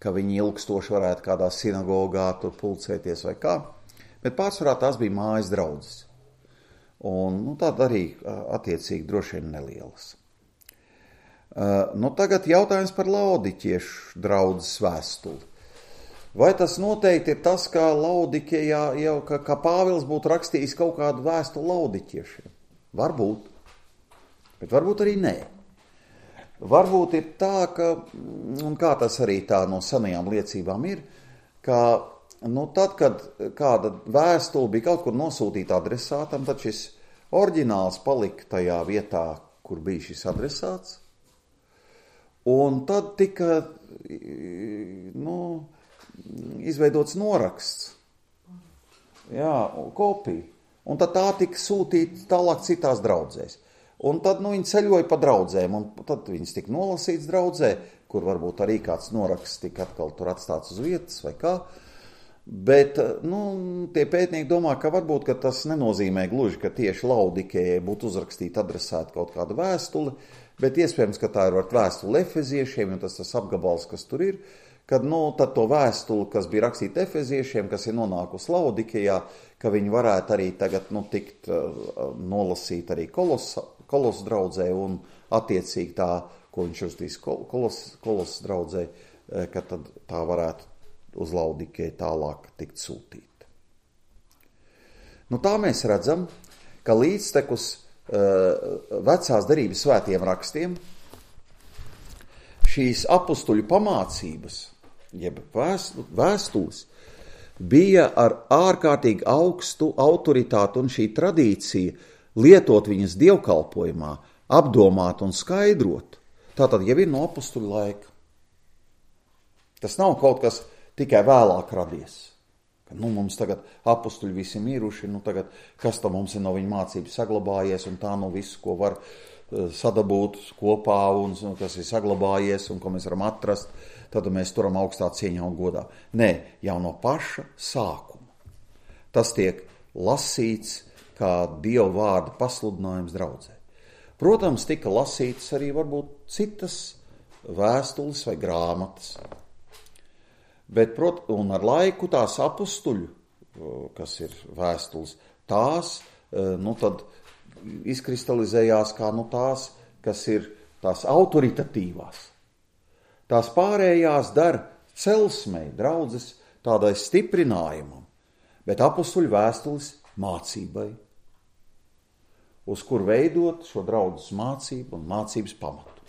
ka viņi ilgstoši varētu kādā sinagogā tur pulcēties vai kā. Bet pārsvarā tās bija mājas draudzes. Un tāda arī attiecīgi droši vien nelielas. Tagad jautājums par Laudikiešu draudzes vēstuli. Vai tas noteikti ir tas, ka Laudikejā jau, ka Pāvils būtu rakstījis kaut kādu vēstuli Laudikiešiem? Varbūt. Bet varbūt arī nē. Varbūt ir tā, un kā tas arī tā no senajām liecībām ir, ka tad, kad kāda vēstule bija kaut kur nosūtīta adresātam, tad šis oriģināls palika tajā vietā, kur bija šis adresāts, Un tad tika izveidots noraksts. Jā, kopija. Un tad tā tika sūtīta tālāk citās draudzēs. Un tad viņi ceļoja pa draudzēm, un tad viņas tika nolasīts draudzē, kur varbūt arī kāds noraksts tika atkal tur atstāts uz vietas vai kā. Bet tie pētnieki domā, ka varbūt ka tas nenozīmē gluži, ka tieši Laudikējai būtu uzrakstīta adresēta kaut kāda vēstule, bet iespējams, ka tā ir vēstule efeziešiem, un tas apgabals, kas tur ir, kad tad to vēstuli, kas bija rakstīta efeziešiem, kas ir nonākusi Laudikejā, ka viņi varētu arī tagad tikt nolasīt arī Kolos draudzē, un attiecīgi tā, ko viņš uzstīs Kolos draudzē, ka tad tā varētu uz Laudikeju tālāk tikt sūtīta. Tā mēs redzam, ka līdztekus vecās derības svētiem rakstiem šīs apustuļu pamācības, jeb vēstules, bija ar ārkārtīgi augstu autoritāti, un šī tradīcija lietot viņas dievkalpojumā, apdomāt un skaidrot, tātad jau ir no apustuļu laika. Tas nav kaut kas tikai vēlāk radies. Ka, mums tagad apustuļi visi miruši, tagad kas tam mums ir no viņa mācības saglabājies, un tā visu, ko var sadabūt kopā, un kas ir saglabājies, un ko mēs varam atrast, tad mēs turam augstā cieņā un godā. Nē, jau no paša sākuma. Tas tiek lasīts kā Dieva vārda pasludinājums draudzē. Protams, tika lasītas arī varbūt citas vēstules vai grāmatas. Bet, un ar laiku tās apustuļu, kas ir vēstules, tās, tad izkristalizējās kā tās, kas ir tās autoritatīvās. Tās pārējās dara celsmei, draudzes tādai stiprinājumam, bet apustuļu vēstules mācībai, uz kur veidot šo draudzes mācību un mācības pamatu.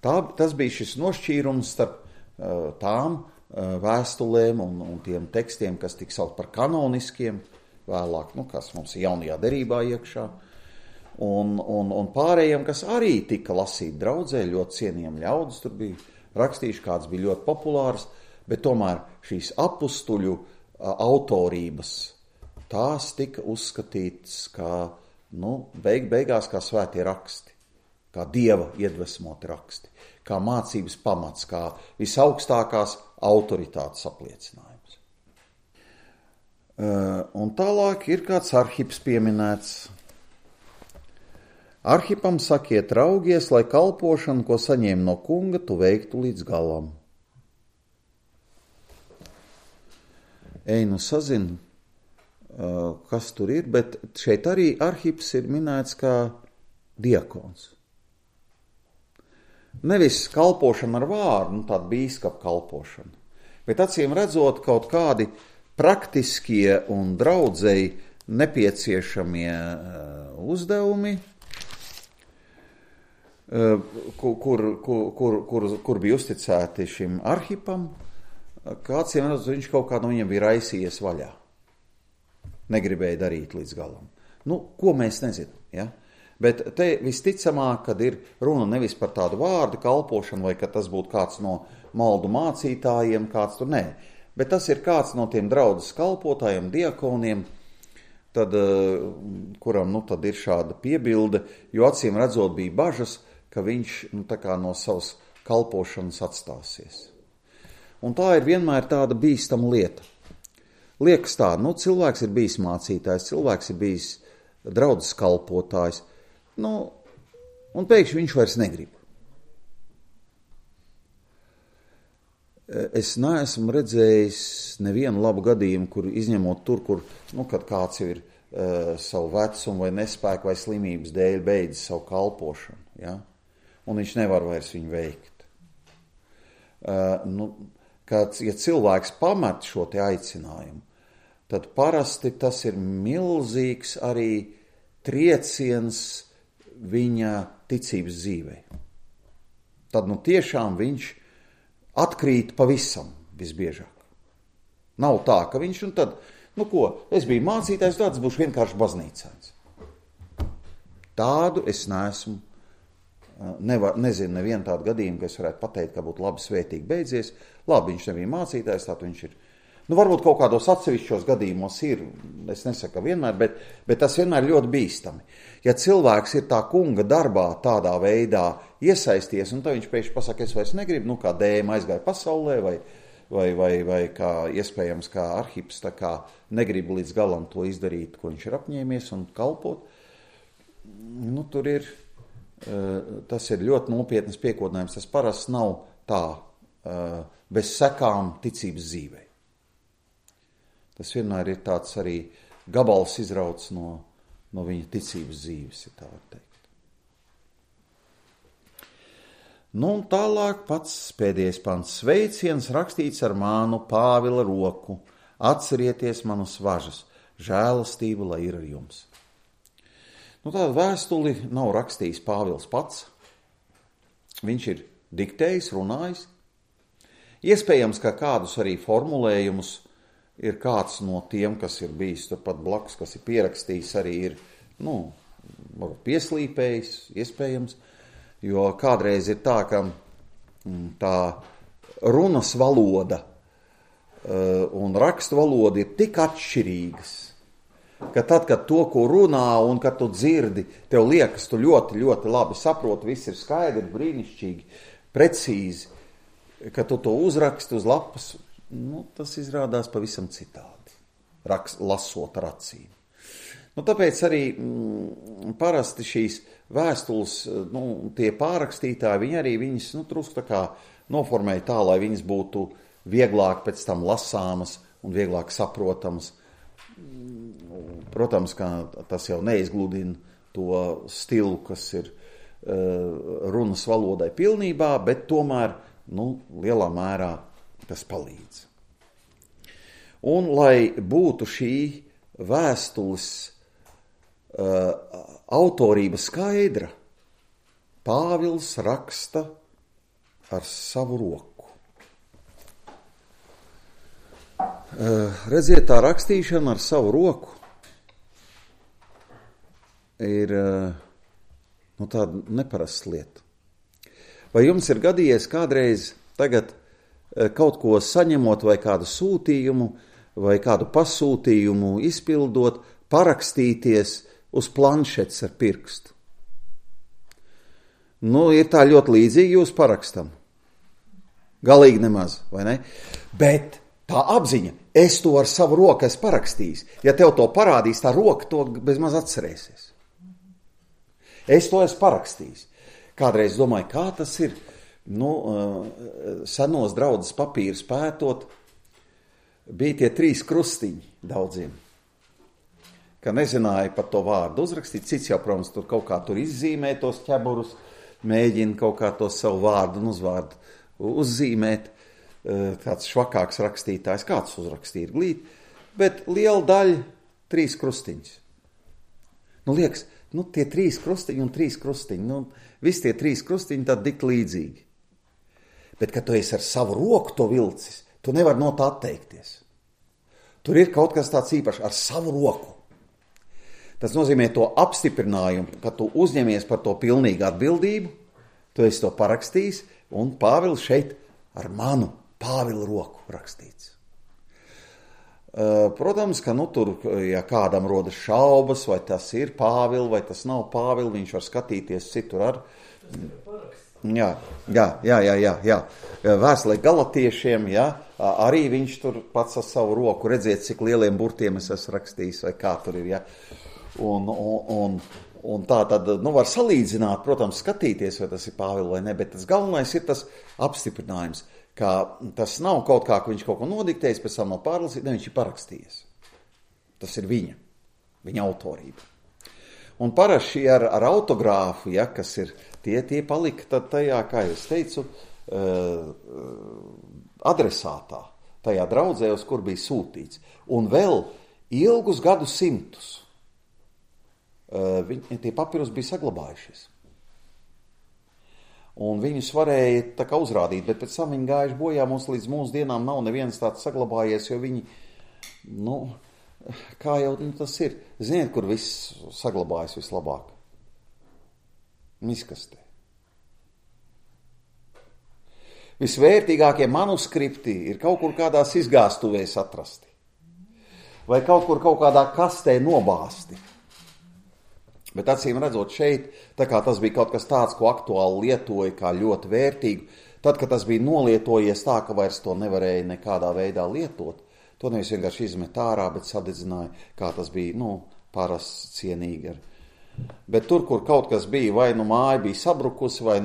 Tas bija šis nošķīrums starp tām vēstulēm un tiem tekstiem, kas tika saukt par kanoniskiem, vēlāk, kas mums ir jaunajā derībā iekšā, un pārējiem, kas arī tika lasīti draudzē, ļoti cienījami ļaudis tur bija rakstījuši, kāds bija ļoti populārs, bet tomēr šīs apustuļu autorības, tās tika uzskatītas kā, beigās kā svētie raksti, kā Dieva iedvesmoti raksti, kā mācības pamats, kā visaugstākās autoritātes apliecinājums. Un tālāk ir kāds Arhips pieminēts. Arhipam sakiet raugies, lai kalpošanu, ko saņēma no kunga, tu veiktu līdz galam. Sazinu, kas tur ir, bet šeit arī Arhips ir minēts kā diakons. Nevis kalpošana ar vārdu, tāda bīskapa kalpošana, bet acīm redzot kaut kādi praktiskie un draudzēji nepieciešamie uzdevumi, kur bija uzticēti šim Arhipam, kā acīm redzot, viņš kaut kā no viņam bija raisījies vaļā. Negribēja darīt līdz galam. Ko mēs nezinām, ja? Bet te visticamāk, kad ir runa nevis par tādu vārdu kalpošanu, vai ka tas būtu kāds no maldu mācītājiem, kāds tur, nē. Bet tas ir kāds no tiem draudzes kalpotājiem, diakoniem, tad, kuram tad ir šāda piebilde, jo acīm redzot bija bažas, ka viņš no savas kalpošanas atstāsies. Un tā ir vienmēr tāda bīstama lieta. Liekas tā, cilvēks ir bijis mācītājs, cilvēks ir bijis draudzes kalpotājs, un pēkšņi viņš vairs negrib. Es neesmu redzējis nevienu labu gadījumu, kur izņemot tur, kur, kad kāds ir savu vecumu vai nespēku vai slimības dēļ beidzis savu kalpošanu, ja? Un viņš nevar vairs viņu veikt. Ja cilvēks pamet šo te aicinājumu, tad parasti tas ir milzīgs arī trieciens viņa ticības dzīvē. Tad tiešām viņš atkrīt pavisam visbiežāk. Nav tā, ka viņš tad, es biju mācītājs, tāds būšu vienkārši baznīcēns. Tādu es neesmu nezinu nevienu tādu gadījumu, ka es varētu pateikt, ka būtu labi svētīgi beidzies. Labi, viņš nebija mācītājs, tātad viņš ir. Varbūt kaut kādos atsevišķos gadījumos ir, es nesaku vienmēr, bet tas vienmēr ļoti bīstami. Ja cilvēks ir tā kunga darbā tādā veidā iesaisties, un tad viņš pēkšņi pasaka, es vairs negribu, kā dēma aizgāja pasaulē, vai kā iespējams kā Arhips, tā kā negribu līdz galam to izdarīt, ko viņš ir apņēmies un kalpot, tur ir, tas ir ļoti nopietnas piekodinājums, tas parasti nav tā bez sekām ticības dzīvei. Tas vienmēr ir tāds arī gabals izrauts no viņa ticības dzīves, ja tā var teikt. Un tālāk pats pēdējais pants. Sveiciens rakstīts ar mānu Pāvila roku. Atcerieties manus važas. Žēlastība, lai ir ar jums. Tāda vēstuli nav rakstījis Pāvils pats. Viņš ir diktējis, runājis. Iespējams, ka kādus arī formulējumus ir kāds no tiem, kas ir bijis turpat blakus, kas ir pierakstījis, arī ir, pieslīpējis, iespējams, jo kādreiz ir tā, ka tā runas valoda un rakstu valoda ir tik atšķirīgas, ka tad, kad to, ko runā un kad tu dzirdi, tev liekas, tu ļoti, ļoti labi saproti, viss ir skaidri, brīnišķīgi, precīzi, ka tu to uzraksti uz lapas, tas izrādās pavisam citādi, lasot ar acīm. Tāpēc arī parasti šīs vēstules, tie pārrakstītāji, viņi arī viņas, drusku tā kā noformēja tā, lai viņas būtu vieglāk pēc tam lasāmas un vieglāk saprotamas. Protams, ka tas jau neizgludina to stilu, kas ir runas valodai pilnībā, bet tomēr, lielā mērā tas palīdz. Un, lai būtu šī vēstules autorība skaidra, Pāvils raksta ar savu roku. Redziet, tā rakstīšana ar savu roku ir tāda neparasta lieta. Vai jums ir gadījies kādreiz tagad kaut ko saņemot vai kādu sūtījumu vai kādu pasūtījumu izpildot, parakstīties uz planšetes ar pirkstu? Ir tā ļoti līdzīgi jūs parakstam. Galīgi nemaz, vai ne? Bet tā apziņa, es to ar savu roku esmu parakstījis. Ja tev to parādīs, tā roka to bezmaz atcerēsies. Es to esmu parakstījis. Kādreiz domāju, kā tas ir, senos draudzes papīrus pētot, bija tie 3 krustiņi daudziem, ka nezināja par to vārdu uzrakstīt. Cits jau, protams, tur kaut kā tur izzīmē tos ķeburus, mēģina kaut kā to savu vārdu un uzvārdu uzzīmēt. Tāds švakāks rakstītājs, kāds uzrakstīja glīt, bet liela daļa 3 krustiņus. Liekas, tie 3 krustiņi un 3 krustiņi, visi tie 3 krustiņi tad tik līdzīgi. Bet, kad tu esi ar savu roku to vilcis, tu nevari no tā atteikties. Tur ir kaut kas tāds īpašs ar savu roku. Tas nozīmē to apstiprinājumu, ka tu uzņemies par to pilnīgu atbildību, tu esi to parakstījis, un Pāvils šeit ar manu Pāvila roku rakstīts. Protams, ka tur, ja kādam rodas šaubas, vai tas ir Pāvila, vai tas nav Pāvila, viņš var skatīties citur ar. Jā. Vēstulē Galatiešiem, arī viņš tur pats ar savu roku, redziet, cik lieliem burtiem es esmu rakstījis, vai kā tur ir, Un tā tad, var salīdzināt, protams, skatīties, vai tas ir Pāvila vai ne, bet tas galvenais ir tas apstiprinājums, ka tas nav kaut kā, ka viņš kaut ko nodiktējis, pēc tam nav pārlasīt, ne, viņš ir parakstījies. Tas ir viņa autorība. Un parasti ar autogrāfu, kas ir, tie palika tad tajā, kā es teicu, adresātā, tajā draudzē, uz kur bija sūtīts. Un vēl ilgus gadu simtus tie papirus bija saglabājušies. Un viņus varēja tā kā uzrādīt, bet pēc tam viņi gājuši bojā, mums līdz mūsu dienām nav neviens tāds saglabājies, jo viņi, kā jau tas ir, ziniet, kur viss saglabājas vislabāk? Miskastē. Visvērtīgākie manuskripti ir kaut kur kādās izgāstuvēs atrasti. Vai kaut kur kaut kādā kastē nobāsti. Bet acīm redzot šeit, tā kā tas bija kaut kas tāds, ko aktuāli lietoja kā ļoti vērtīgu, tad, kad tas bija nolietojies tā, ka vairs to nevarēja nekādā veidā lietot, to nevis vienkārši izmet ārā, bet sadedzināja, kā tas bija, parasts cienīgi. Bet tur, kur kaut kas bija, vai māja bija sabrukusi, vai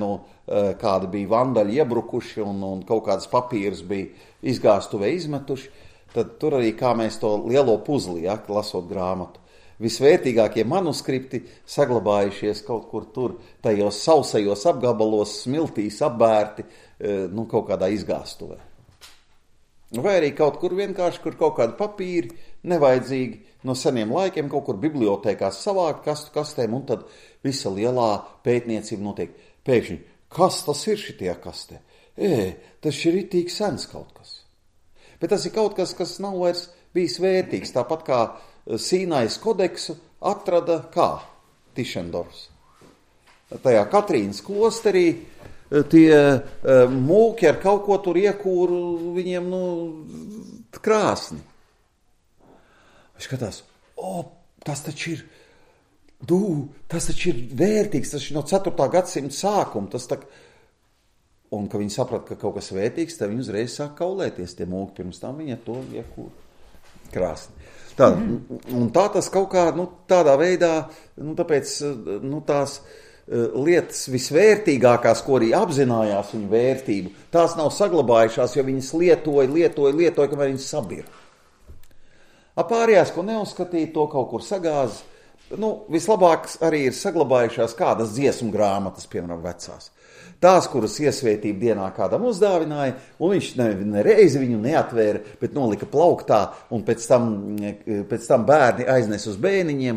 kādi bija vandaļi iebrukuši un kaut kādas papīras bija izgāstuvē izmetuši, tad tur arī, kā mēs to lielo puzli, lasot grāmatu, visvērtīgākie manuskripti saglabājušies kaut kur tur, tajos sausajos apgabalos, smiltīs apbērti, kaut kādā izgāstuvē. Vai arī kaut kur vienkārši, kur kaut kādi papīri nevajadzīgi no seniem laikiem, kaut kur bibliotēkās savākt kastu kastēm, un tad visa lielā pētniecība notiek. Pēkšņi, kas tas ir šitie kastē? Tas ir ritīgi sens kaut kas. Bet tas ir kaut kas, kas nav vairs bijis vērtīgs, tāpat kā Sīnais kodeksu atrada kā Tišendorfs. Tajā Katrīnas klosterī tie mūki ar kaut ko tur iekūru viņiem, krāsni. Viņš skatās, tas taču ir vērtīgs, tas ir no 4. gadsimta sākuma, un, ka viņi saprata, ka kaut kas vērtīgs, tad viņi uzreiz sāk kaulēties tie mūki, pirms tam viņi to iekūru krāsni. Un tā tas kaut kā, tādā veidā, tāpēc, tās lietas visvērtīgākās, ko arī apzinājās viņu vērtību, tās nav saglabājušās, jo viņas lietoja, kamēr viņas sabira. Pārējās, ko neuzskatīja, to kaut kur sagāza. Vislabāk arī ir saglabājušās kādas dziesmu grāmatas, piemēram, vecās. Tās, kuras iesvētību dienā kādam uzdāvināja, un viņš nereizi viņu neatvēra, bet nolika plauktā, un pēc tam bērni aiznes uz bēniņiem,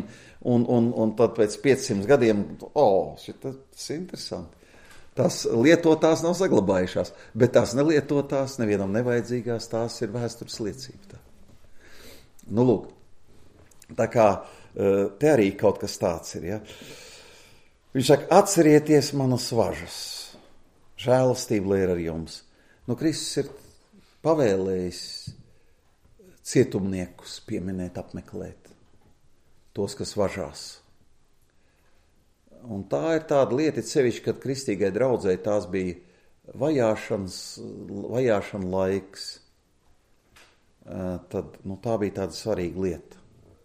un tad pēc 500 gadiem, tas ir interesanti. Tās lietotās nav saglabājušās, bet tās nelietotās, nevienam nevajadzīgās, tās ir vēstures liecība. Lūk, tā kā te arī kaut kas tāds ir, ja. Viņš saka, atcerieties manas važas. Žēlastība lai ir ar jums. Kristus ir pavēlējis cietumniekus pieminēt, apmeklēt tos, kas važās. Un tā ir tāda lieta, sevišķi, kad kristīgai draudzei tās bija vajāšana laiks. Tad tā bija tāda svarīga lieta,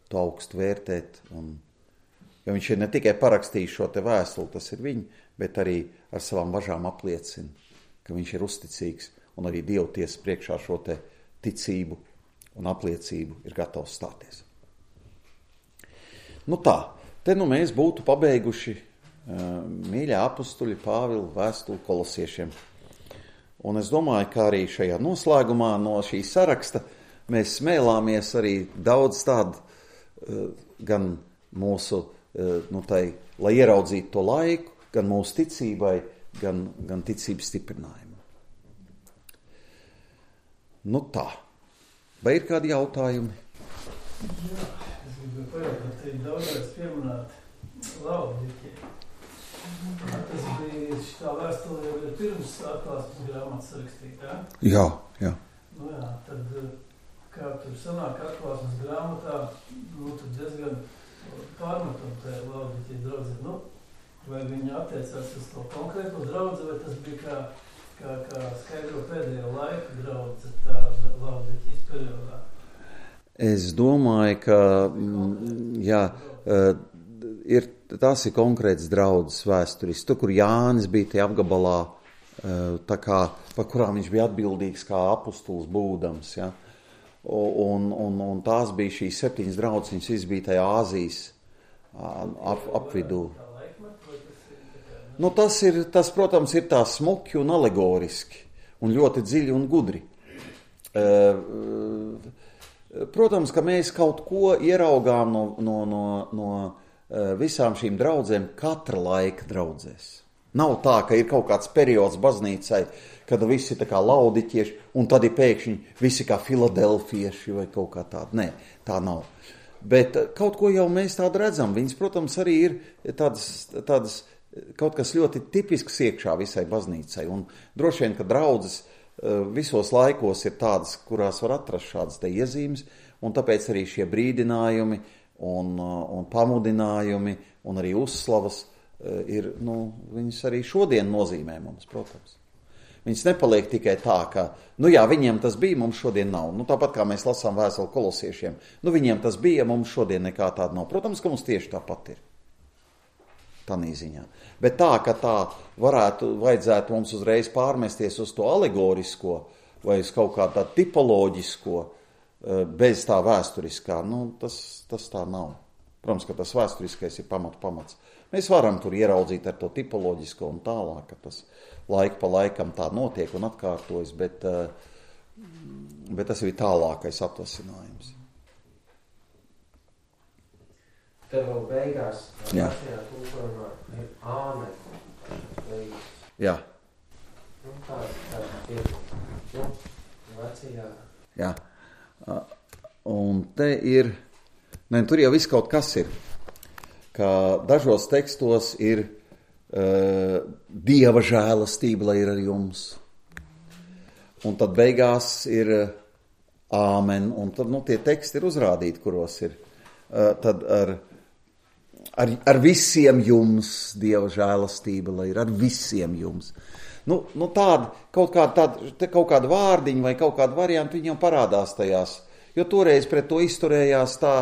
to augstu vērtēt. Jo viņš ir ne tikai parakstījis šo te vēstuli, tas ir viņa, bet arī ar savām važām apliecina, ka viņš ir uzticīgs un arī Dievu tiesas priekšā šo te ticību un apliecību ir gatavs stāties. Te mēs būtu pabeiguši mīļā apustuļa Pāvila vēstuli kolosiešiem. Un es domāju, ka arī šajā noslēgumā no šī saraksta mēs smēlāmies arī daudz tādu gan mūsu, lai ieraudzītu to laiku, gan mūsu ticībai, gan ticības stiprinājumu. Vai ir kādi jautājumi? Jā, es gribu pajautāt, te daudzreiz pieminēt Laudikē. Tas bija šitā vēstulē jau pirms atklāsmes grāmatas rakstītā. Jā. Tad, kā tur sanāk atklāsmes grāmatā, tad diezgan pārmetam tajā Laudikē draudzē. Vai viņi attiecās uz to konkrēto draudzi, vai tas bija kā skaidro pēdējo laiku draudze tā Laudikijas periodā? Es domāju, ka tas ir konkrēts draudzes vēsturis. Tur, kur Jānis bija tie apgabalā, par kurām viņš bija atbildīgs kā apustulis būdams. Ja? Un tās bija šīs 7 draudzes, viņas viss bija tajā Āzijas apvidū. Tas, protams, ir tā smuki un alegoriski, un ļoti dziļi un gudri. Protams, ka mēs kaut ko ieraugām no visām šīm draudzēm katra laika draudzēs. Nav tā, ka ir kaut kāds periods baznīcai, kad visi ir tā kā laudiķieši, un tad ir pēkšņi visi kā filadelfieši vai kaut kā tāda. Nē, tā nav. Bet kaut ko jau mēs tādu redzam. Viņas, protams, arī ir tādas kaut kas ļoti tipisks iekšā visai baznīcai. Un droši vien, ka draudzes visos laikos ir tādas, kurās var atrast šādas te iezīmes, un tāpēc arī šie brīdinājumi un pamudinājumi un arī uzslavas ir, viņas arī šodien nozīmē mums, protams. Viņas nepaliek tikai tā, ka, viņiem tas bija, mums šodien nav. Tāpat kā mēs lasām vēstuli kolosiešiem, viņiem tas bija, mums šodien nekā tāda nav. Protams, ka mums tieši tāpat ir. Tanī ziņā. Bet tā, ka tā vajadzētu mums uzreiz pārmesties uz to alegorisko vai uz kaut kā tā tipoloģisko, bez tā vēsturiskā, tas tā nav. Protams, ka tas vēsturiskais ir pamats. Mēs varam tur ieraudzīt ar to tipoloģisko un tālāk, ka tas laika pa laikam tā notiek un atkārtojas, bet tas ir tālākais atvasinājums. Tev vēl beigās, vecajā tulkojumā ir āmen. Jā. Tā ir vecajā. Jā. Un te ir, tur jau viss kaut kas ir, ka dažos tekstos ir Dieva žēlastība, lai ir ar jums. Un tad beigās ir āmen, un tad tie teksti ir uzrādīti, kuros ir tad ar visiem jums Dieva žēlastība, lai ir ar visiem jums. Tāda, kaut kāda vārdiņa vai kaut kāda varianta viņam parādās tajās, jo toreiz pret to izturējās tā,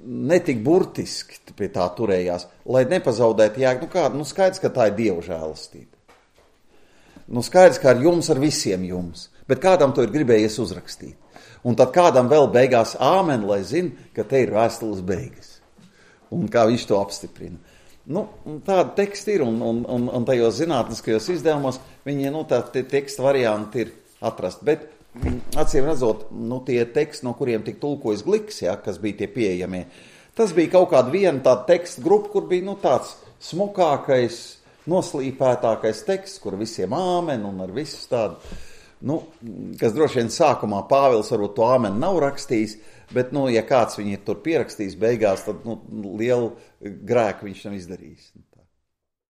netik burtiski pie tā turējās, lai nepazaudētu jēgu. Skaidrs, ka tā ir Dieva žēlastība. Skaidrs, ka ar jums, ar visiem jums, bet kādam to ir gribējies uzrakstīt. Un tad kādam vēl beigās āmen, lai zina, ka te ir vēstules beigas. Un kā viņš to apstiprina. Tāda teksta ir, un tajos zinātniskajos izdevumos viņi, tādi teksta varianti ir atrast. Bet, acīm redzot, tie teksti, no kuriem tik tulkojas Gliks, kas bija tie pieejamie, tas bija kaut kāda viena tāda teksta grupa, kur bija, tāds smukākais, noslīpētākais teksts, kur visiem āmen un ar visu tādu, kas droši vien sākumā Pāvils varbūt to āmen nav rakstījis, bet, ja kāds viņu ir tur pierakstījis beigās, tad, lielu grēku viņš nav izdarījis.